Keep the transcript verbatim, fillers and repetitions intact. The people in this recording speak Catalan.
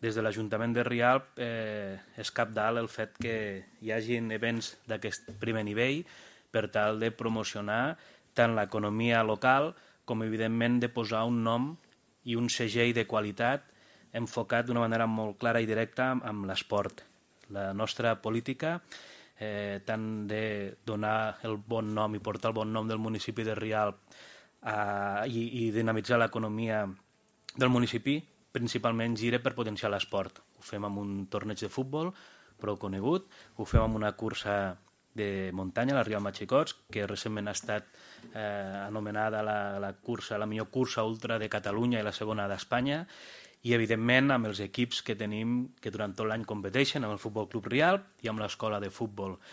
des de l'Ajuntament de Rialp eh, és cabdal el fet que hi hagin events d'aquest primer nivell per tal de promocionar tant l'economia local com, evidentment, de posar un nom i un segell de qualitat enfocat d'una manera molt clara i directa amb l'esport. La nostra política, eh, tant de donar el bon nom i portar el bon nom del municipi de Rialp eh, i, i dinamitzar l'economia del municipi, principalment gira per potenciar l'esport. Ho fem amb un torneig de futbol prou conegut, ho fem amb una cursa de muntanya, la Rialp Machicots, que recentment ha estat eh, anomenada la, la, cursa, la millor cursa ultra de Catalunya i la segona d'Espanya, i evidentment amb els equips que tenim que durant tot l'any competeixen, amb el Futbol Club Rialp i amb l'escola de futbol.